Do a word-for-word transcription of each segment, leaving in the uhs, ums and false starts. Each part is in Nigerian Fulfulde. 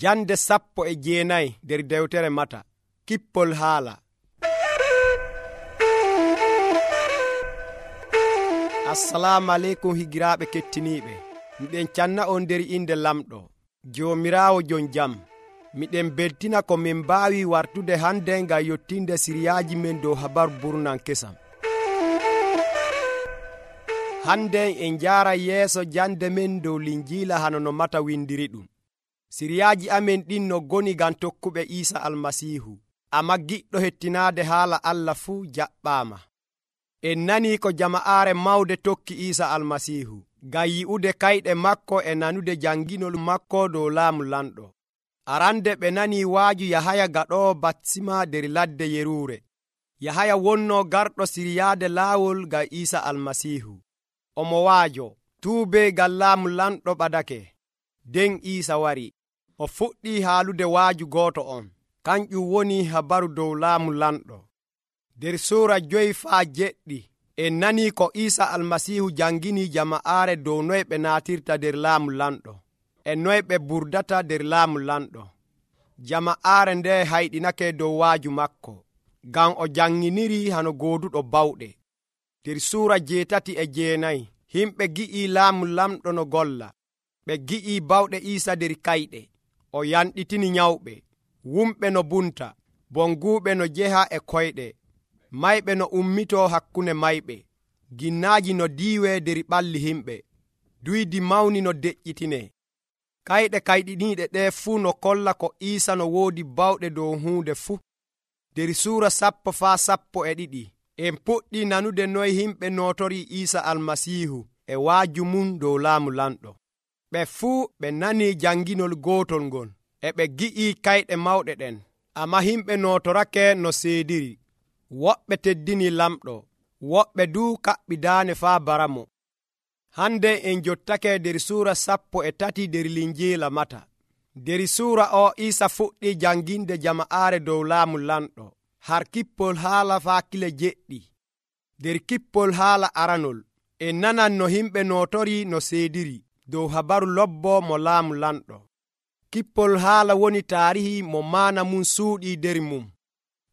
Jande sappo e jeenayi nder dewtere Mata. Kippol haala. Assalamu aleykum higiraaɓe kettiniiɓe. Miɗen canna on nder inde lamɗo Joomiraawo jon jam. Miɗen beltina ko min mbaawi wartude hande ngam yottinde siriyaaji men dow habaru burnan kesam. Hande en jaara yeeso jande men dow linjiila hano no Mata windiri ɗum. Siriyaaji amen ɗin no goni ngam tokkuɓe Iisa Almasiihu. Amma giɗɗo hettinaade haala Allah fuu jaɓɓaama. En nanii ko jama'aare mawde tokki Iisa Almasiihu ngam yi'ude kayɗe makko e nanude janginol makko dow laamu lamɗo. Arande ɓe nanii waaju Yahaya gaɗoowo batisma nder ladde Yeruure. Yahaya wonnoo garɗo siryaade laawol ngam Iisa Almasiihu. Omo waajo tuube ngam laamu lamɗo ɓadake. Den Iisa wari. O fuɗɗii haalude waaju gooto on. Kanƴum woni habaru dow laamu lamɗo. Nder suura joyi faa jeɗɗi en nanii ko Iisa Almasiihu janginii jama'aare dow noye ɓe naatirta nder laamu lamɗo e noye ɓe burdata nder laamu lamɗo. Jama'aare nde hayɗinake dow waaju makko ngam o janginiri hano gooduɗo bawɗe. Nder suura jeetati e jeenayi himɓe gi'ii laamu lamɗo no golla. Ɓe gi'ii bawɗe Iisa nder kayɗe. O yanɗitini nyawɓe, wumɓe no bunta, bonguuɓe no jeha e koyɗe, mayɓe no ummitoo hakkunde mayɓe, ginnaaji no diiwe nder ɓalli himɓe, duydi mawni no deƴƴitine. Kayɗe kayɗiniiɗe ɗee fuu no kolla ko Iisa no woodi bawɗe dow huunde fuu. Nder suura sappo faa sappo e ɗiɗi en puɗɗii nanude noye himɓe nootorii Iisa Almasiihu e waaju mum dow laamu lamɗo. Ɓe fuu ɓe nanii janginol gootol ngol e ɓe gi'ii kayɗe mawɗe ɗen, amma himɓe nootorake no seediri. Woɓɓe teddini lamɗo, woɓɓe duu kaɓɓidaane faa baramo. Hande en jottake nder suura sappo e tati nder linjiila Mata. Nder suura o Iisa fuɗɗii janginde jama'aare dow laamu lamɗo har kippol haala faa kile jeɗɗi. Nder kippol haala aranol en nanan no himɓe nootori no seediri dow habaru lobbo mo laamu lamɗo. Kippol haala woni taarihi mo maana mum suuɗii nder mum.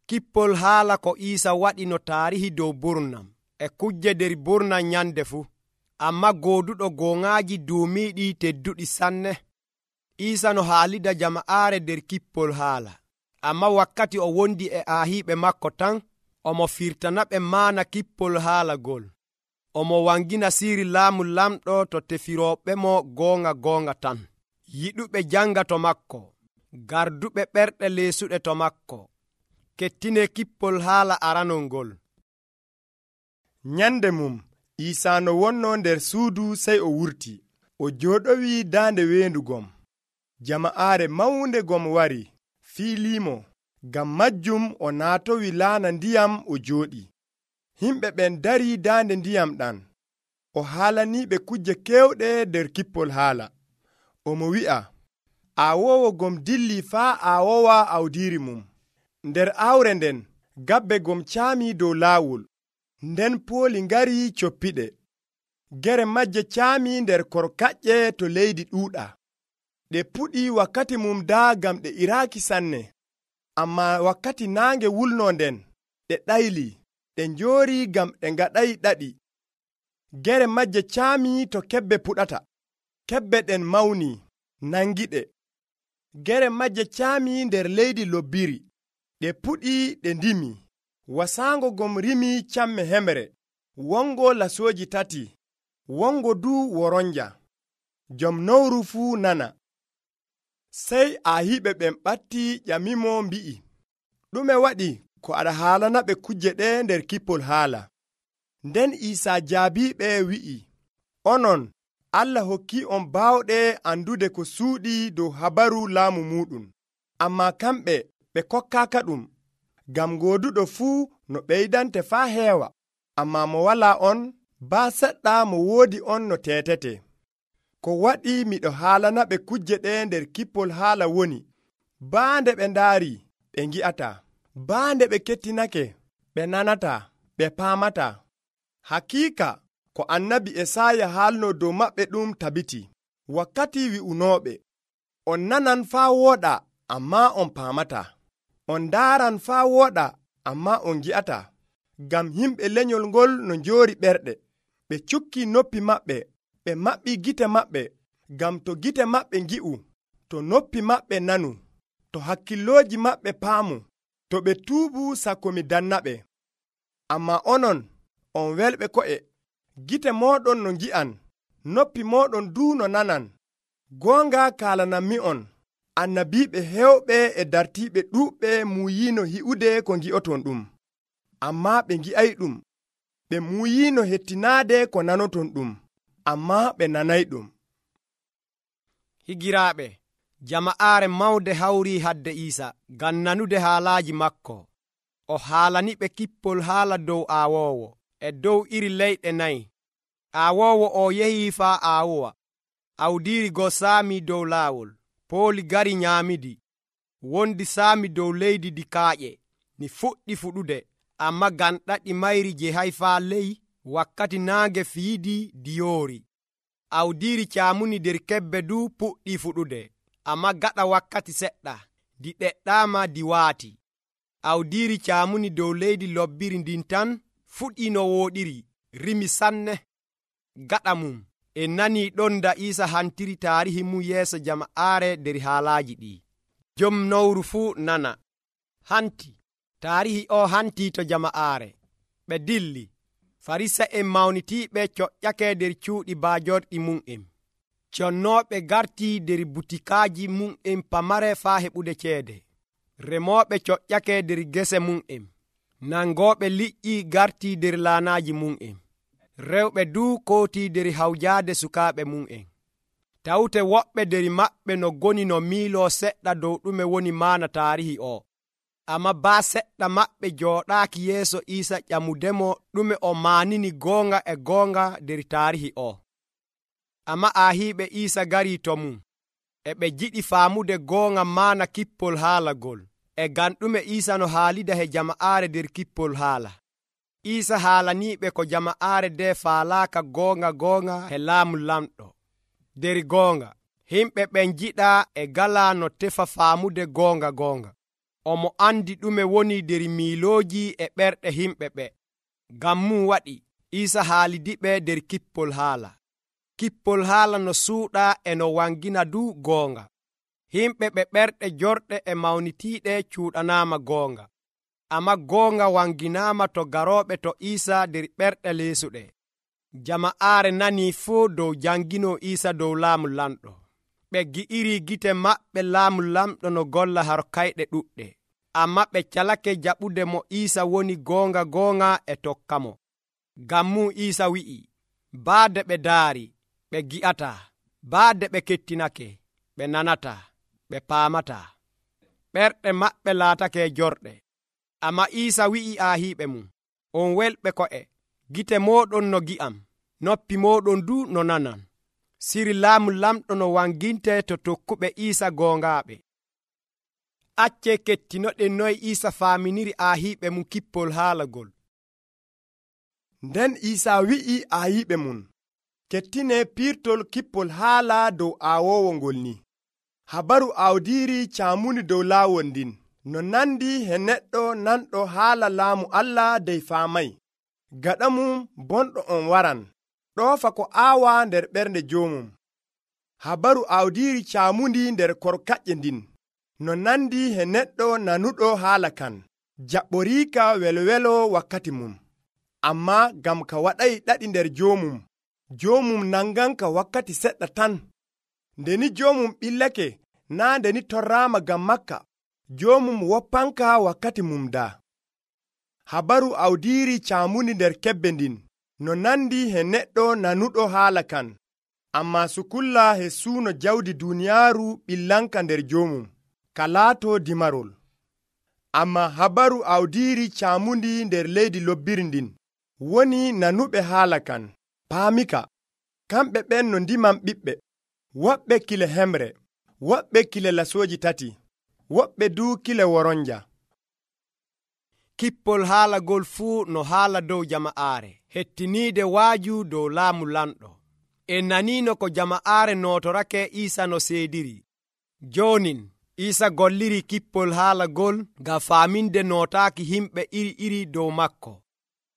Kippol haala ko Iisa waɗi no taarihi dow burnam e kujje nder burnam nyande fuu. Amma gooduɗo gooŋaaji duumiiɗi tedduɗi sanne. Iisa no haalida jama'aare nder kippol haala. Amma wakkati o wondi e aahiiɓe makko tan, omo firtanaɓe maana kippol haala gol. Omo wangina siiri laamu lamɗo to tefirooɓe mo goonga goonga tan. Yiɗuɓe janga to makko, garduɓe ɓerɗe leesuɗe to makko. Kettine kippol haala aranol ngol. Nyande mum Iisa no wonno nder suudu sey o wurti. O jooɗowi daande weendu gom. Jama'aare mawnde gom wari fiiliimo. Ngam majjum o naatowi laana ndiyam o jooɗi. Himɓe ɓen darii daande ndiyam ɗan. O haalaniiɓe kujje keewɗe nder kippol haala. Omo wi'a, aawoowo gom dilli faa aawowa awdiiri mum. Nder aawre nden gabbe gom caamii dow laawol. Nden pooli ngari coppiɗe. Gere majje caamii nder korkaƴƴe to leydi ɗuuɗa. Ɗe puɗii wakkati mum daa gam ɗe iraaki sanne. Amma wakkati naange wulnoo nden ɗe ɗayli. Ɗe njoori gam ɗe ngaɗay ɗaɗi. Gere majje caamii to kebbe puɗata. Kebbe ɗen mawnii, nangiɗe. Gere majje caamii nder leydi lobbiri. Ɗe puɗii ɗe ndimi. Wasaango gom rimii camme hemre. Wongo lasooji tati. Wongo duu woronja. Jom nowru fuu nana. Sey aahiɓe ɓen ɓatti ƴamimo mbi'i, ɗume waɗi ko aɗa haalanaɓe kujje ɗe nder kippol haala? Nden Iisa jaabiɓe wi'i, onon Allah hokki on baawɗe andude ko suuɗi dow habaru laamu muɗum, amma kamɓe ɓe kokkaaka ɗum. Ngam gooduɗo fuu no ɓeydante faa heewa, amma mo walaa on baa seɗɗa mo woodi on no teetete. Ko waɗi miɗo haalanaɓe kujje ɗe nder kippol haala woni, baande ɓe ndaari ɓe ngi'ata, baande ɓe kettinake ɓe nanata, ɓe paamata. Hakiika ko annabi Esaaya haalno dow maɓɓe ɗum tabiti. Wakkati wi'unooɓe, On nanan faa wooɗa, ammaa on paamataa. On ndaaran faa wooɗa, ammaa on ngi'ataa. Ngam yimɓe lenyol ngol no njoori ɓerɗe. Ɓe cukki noppi maɓɓe, ɓe maɓɓii gite maɓɓe. Ngam to gite maɓɓe ngi'u, to noppi maɓɓe nanu, to hakkillooji maɓɓe paamu, to ɓe tuubu sakko mi dannaɓe. Ammaa onon, on welɓe ko'e, gite mooɗon no ngi'an, noppi mooɗon duu no nanan. Goonga kaalanammi'on, annabiiɓe heewɓe e dartiiɓe ɗuuɓɓe muuyiino hi'ude ko ngi'oton ɗum, ammaa ɓe ngi'ayɗum. Ɓe muuyiino hettinaade ko nanoton ɗum, ammaa ɓe nanayɗum. Higiraaɓe, jama'aare mawde hawrii hadde Iisa ngam nanude haalaaji makko. O haalaniɓe kippol haala dow aawoowo e dow iri leyɗe nayi. Aawoowo o yehii faa aawowa. Awdiiri go saami dow laawol. Pooli gari nyaamidi. Wondi saami dow leydi di kaaƴe. Ni fuɗɗi fuɗude, amma ngam ɗaɗi mayri jehay faa ley, wakkati naange fiidi di yoori. Awdiiri caamuni nder kebbe du puɗɗii fuɗude, amma gaɗa wakkati seɗɗa, di ɗeɗɗaama di waati. Awdiiri caamuni dow leydi lobbiri ndin tan fuɗii no wooɗiri, rimi sanne. Gaɗa mum, en nanii ɗon da Iisa hantiri taarihi mum yeeso jama'aare nder haalaaji ɗi. Jom nowru fuu nana. Hanti, taarihi o hantii to jama'aare. Ɓe dilli. Farisa'en mawnitiiɓe coƴƴake nder cuuɗi baajorɗi mum'en. Connooɓe gartii nder butikaaji mum'en pamare faa heɓude ceede. Remooɓe coƴƴake nder gese mum'en. Nangooɓe liƴƴi gartii nder laanaaji mum'en. Rewɓe duu kootii nder hawjaade sukaaɓe mum'en. Tawte woɓɓe nder maɓɓe no goni no miiloo seɗɗa dow ɗume woni maana taarihi o. Amma baa seɗɗa maɓɓe jooɗaaki yeeso Iisa ƴamudemo ɗume o maanini goonga e goonga nder taarihi o. Amma aahiiɓe Iisa garii to mum, e ɓe jiɗi faamude goonga maana kippol haalagol, e ngam ɗume Iisa no haalida he jama'aare nder kippol haala. Iisa haalaniiɓe ko jama'aare nde faalaaka goonga goonga he laamu lamɗo. Nder goonga, himɓe ɓen jiɗaa e galaa no tefa faamude goonga goonga. Omo andi ɗume woni nder miilooji e ɓerɗe himɓe ɓe. Ngam mum waɗi Iisa haalidiɓe nder kippol haala. Kippol haala no suuɗa e no wangina du goonga. Himɓe ɓe ɓerɗe jorɗe e mawnitiiɗe cuuɗanaama goonga. Amma goonga wanginaama to garooɓe to Iisa nder ɓerɗe leesuɗe. Jama'aare nanii fuu dow janginoo Iisa dow laamu lamɗo. Ɓe gi'iri gite maɓɓe laamu lamɗo no golla harkayɗe ɗuɗɗe. Amma ɓe calake jaɓude mo Iisa woni goonga goonga e tokka mo. Ngam mum Iisa wi'i, baade ɓe ndaari, ɓe gi'ataa, baade ɓe kettinake, ɓe nanataa, ɓe paamataa. Ɓerɗe maɓɓe laatake jorɗe. Amma Iisa wi'i aahiiɓe mum, on welɓe ko'e, gite mooɗon no gi'am, noppi mooɗon du no nanan. Siri laamu lamɗo no wanginte to tokkuɓe Iisa goongaaɓe. Acce kettinoɗen noy Iisa faaminiri aahiiɓe mum kippol haalagol. Nden Iisa wi'i aayiɓe mum, kettine piirtol kippol haala dow aawoowo ngol ni. Habaru awdiiri caamuni dow laawol ndin, no nandi he neɗɗo nanɗo haala laamu Allah dey faamay. Gaɗa mum bonɗo on waran, ɗoofa ko aawa nder ɓernde joomum. Habaru awdiiri caamundi nder korkaƴƴe ndin, no nandi he neɗɗo nanuɗo haala kan, jaɓɓoriika welwelo wakkati mum. Ammaa ngam ka waɗay ɗaɗi nder joomum, joomum nanganka wakkati seɗɗa tan. Ndeni joomum ɓillake, naa ndeni torraama ngam makka, joomum woppanka wakkati mum daa. Habaru awdiiri caamuni nder kebbe ndin, no nandi he neɗɗo nanuɗo haala kan, ammaa sukulla he suuno jawdi duuniyaaru ɓillanka nder joomum, ka laato dimarol. Ammaa habaru awdiiri caamundi nder leydi lobbiri ndin, woni nanuɓe haala kan, paamika. Kamɓe ɓen no ndiman ɓiɓɓe, woɓɓe kile hemre, woɓɓe kile lasooji tati, woɓɓe duu kile woronja. Kippol haalagol fuu no haala dow jama'aare, hettiniide waaju dow laamu lamɗo. En naniino ko jama'aare nootorake Iisa no seediri. Jonin Iisa golliri kippol haala gol ngam faaminde nootaaki himɓe iri iri dow makko.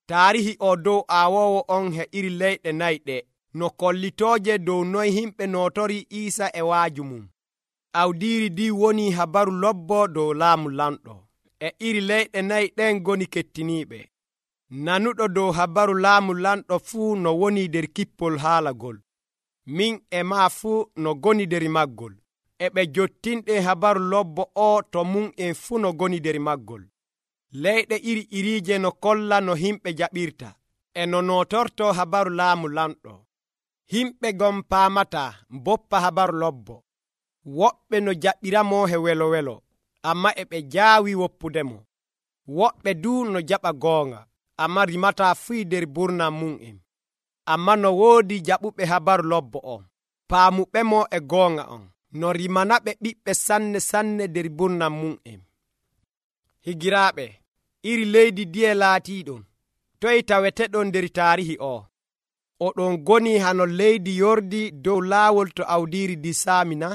Taarihi o dow aawoowo on he iri leyɗe nayi ɗe no kollitooje dow noy himɓe nootori Iisa e waaju mum. Awdiiri ndi woni habaru lobbo dow laamu lamɗo. E iri leyɗe nayi ɗen ngoni kettiniiɓe. Nanuɗo dow habaru laamu lamɗo fuu no woni nder kippol haala gol. Min e maa fuu no goni nder maggol. E ɓe jottinɗe habaru lobbo o to mum en fuu no goni nder maggol. Leyɗe iri iriije no kolla no himɓe jaɓirta e no nootorto habaru laamu lamɗo. Himɓe gon paamataa mboppa habaru lobbo. Woɓɓe no jaɓiramo he welo welo, amma e ɓe jaawi woppudemo. Woɓɓe du no jaɓa goonga, amma rimataa fuu nder burnam mum'en. Amma no woodi jaɓuɓe habaru lobbo on, paamuɓemo e goonga on, no rimanaɓe ɓiɓɓe sanne sanne nder burnam mum'en. Higiraaɓe, iri leydi diye laatiiɗon, toye taweteɗon nder taarihi o? Oɗon goni hano leydi yordi dow laawol to awdiiri disaami na?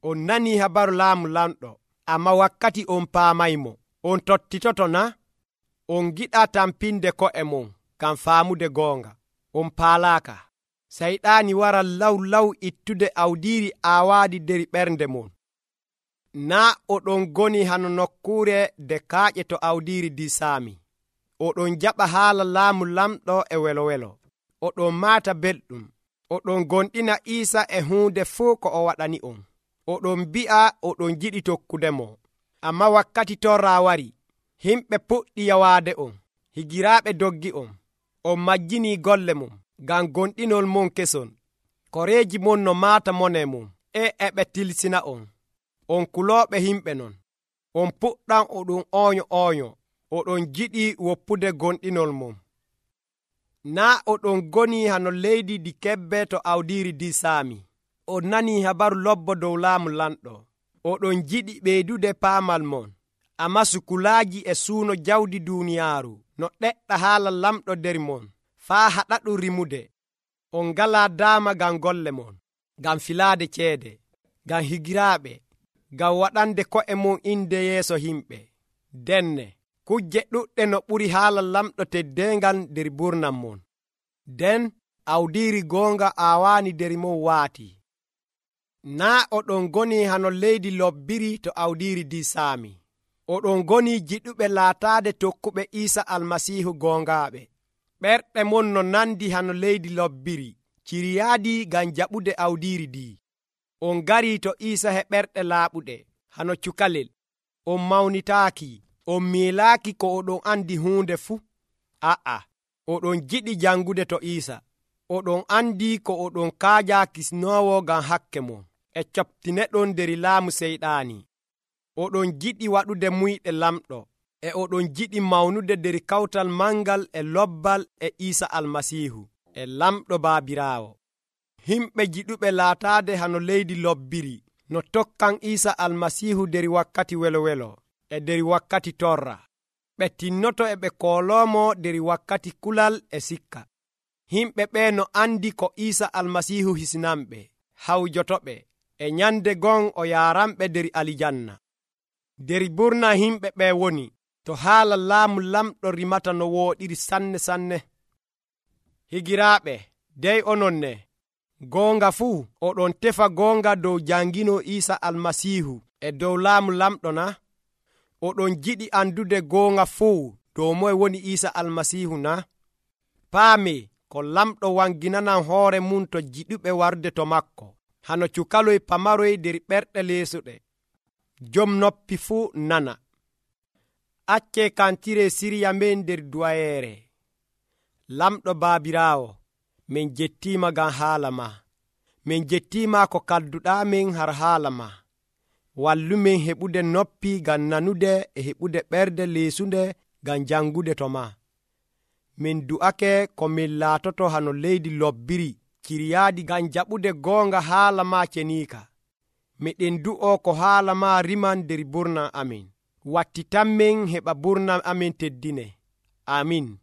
On nanii habaru laamu lamɗo, amma wakkati on paamaymo. On tottitoto na? On giɗaa tampinde ko'e mon ngam faamude goonga. On paalaaka. Sayɗaani wara law law ittude awdiiri aawaadi nder ɓernde mon. Naa oɗon goni hano nokkuure de kaaƴe to awdiiri disaami. Oɗon jaɓa haala laamu lamɗo e welo welo. Oɗon maata belɗum. Oɗon gonɗina Iisa e huunde fuu ko o waɗani on. Oɗon mbi'a oɗon jiɗi tokkudemo. Amma wakkati torra wari, himɓe puɗɗi yawaade on. Higiraaɓe doggi on. On majjinii golle mum ngam gonɗinol mon keson. Koreeji mon no maata mone mum e eɓe tilsina on. On kulooɓe himɓe non. On puɗɗan oɗon ooño ooño. Oɗon jiɗi woppude gonɗinol mum. Naa oɗon goni hano leydi di kebbe to awdiiri disaami. On nanii habaru lobbo dow laamu lamɗo. Oɗon jiɗi ɓeydude paamal mon. Amma sukulaaji e suuno jawdi duuniyaaru no ɗeɗɗa haala lamɗo nder mon, faa haɗaɗum rimude. On ngalaa daama ngam golle mon, ngam filaade ceede, ngam higiraaɓe, ngam waɗande ko'e mon inde yeeso himɓe. Denne, kujje ɗuɗɗe no ɓuri haala lamɗo teddeengal nder burnam mon. Den awdiiri goonga aawaani nder mon waati. Naa oɗon goni hano leydi lobbiri to awdiiri disaami. Oɗon goni jiɗuɓe laataade tokkuɓe Iisa Almasiihu goongaaɓe. Ɓerɗe mon no nandi hano leydi lobbiri, ciriyaadi ngam jaɓude awdiiri ndi. On garii to Iisa he ɓerɗe laaɓuɗe, hano cukalel. On mawnitaaki, on miilaaki ko oɗon andi huunde fuu. A'a, oɗon jiɗi jangude to Iisa. Oɗon andi ko oɗon kaajaa kisnoowo ngam hakke mon, e coptineɗon nder laamu seyɗaani. Oɗon jiɗi waɗude muyɗe lamɗo, e oɗon jiɗi mawnude nder kawtal mangal e lobbal e Iisa Almasiihu, e lamɗo Baabiraawo. Himɓe jiɗuɓe laataade hano leydi lobbiri, no tokkan Iisa Almasiihu nder wakkati welo welo, e nder wakkati torra. Ɓe tinnoto e ɓe kooloomo nder wakkati kulal e sikka. Himɓe ɓe no andi ko Iisa Almasiihu hisinanɓe, hawjotoɓe, e nyande gon o yaaranɓe nder alijanna. Der burna himɓe ɓe woni, to haala laamu lamɗo rimata no wooɗiri sanne sanne. Higiraaɓe, dey onon ne, goonga fuu oɗon tefa goonga dow jangino Iisa Almasiihu e dow laamu lamɗo na? Oɗon jiɗi andude goonga fuu dow moye woni Iisa Almasiihu na? Paame ko lamɗo wanginanan hoore mum to jiɗuɓe warde to makko, hano cukaloy pamaroy nder ɓerɗe leesuɗe. Jom noppi fuu nana. Acce kantire siriya men nder duwayeere. Lamɗo Baabiraawo, min jettiima ngam haala ma. Min jettiima ko kadduɗaa men har haala ma. Wallumen heɓude noppi ngam nanude e heɓude ɓerde leesunde ngam jangude to ma. Min du'ake ko min laatoto hano leydi lobbiri ciriyaadi ngam jaɓude goonga haala ma ceniika. Miɗen du'o ko haala ma riman nder burnam amin. Wattitanmen heɓa burnam amin teddine. Amin.